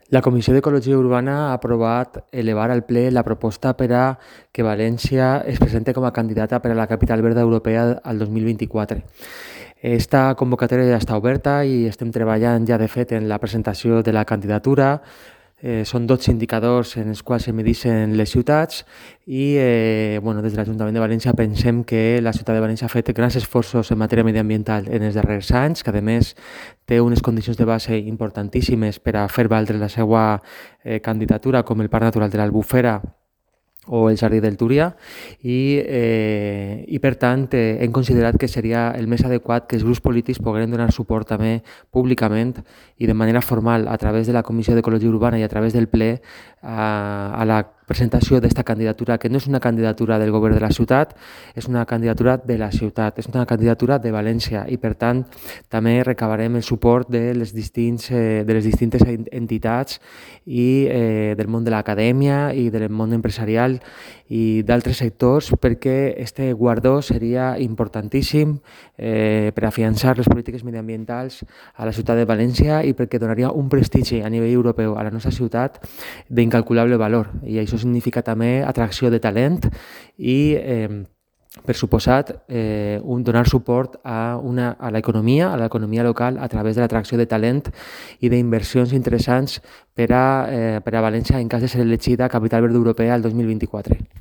La Comissió d'Ecologia Urbana ha aprovat elevar al ple la proposta per a que València es presente com a candidata per a la Capital Verda Europea al 2024. Esta convocatòria ja està oberta i estem treballant ja de fet en la presentació de la candidatura. Són 12 indicadors en els quals se medixen les ciutats i des de l'Ajuntament de València pensem que la ciutat de València ha fet grans esforços en matèria mediambiental en els darrers anys, que a més té unes condicions de base importantíssimes per a fer valdre la seva candidatura, com el Parc Natural de l'Albufera o el Jardí del Túria i per tant hem considerat que seria el més adequat que els grups polítics pogueren donar suport també públicament i de manera formal a través de la Comissió d'Ecologia Urbana i a través del ple a la presentació d'esta candidatura, que no és una candidatura del govern de la ciutat, és una candidatura de la ciutat, és una candidatura de València i per tant també recabarem el suport de les distintes entitats i del món de l'acadèmia i del món empresarial i d'altres sectors perquè este guardó seria importantíssim per afiançar les polítiques mediambientals a la ciutat de València i perquè donaria un prestigi a nivell europeu a la nostra ciutat d'incalculable valor i això significa també atracció de talent i per suposat, donar suport a l'economia local a través de l'atracció de talent i d'inversions interessants per a València en cas de ser elegida Capital Verda Europea el 2024.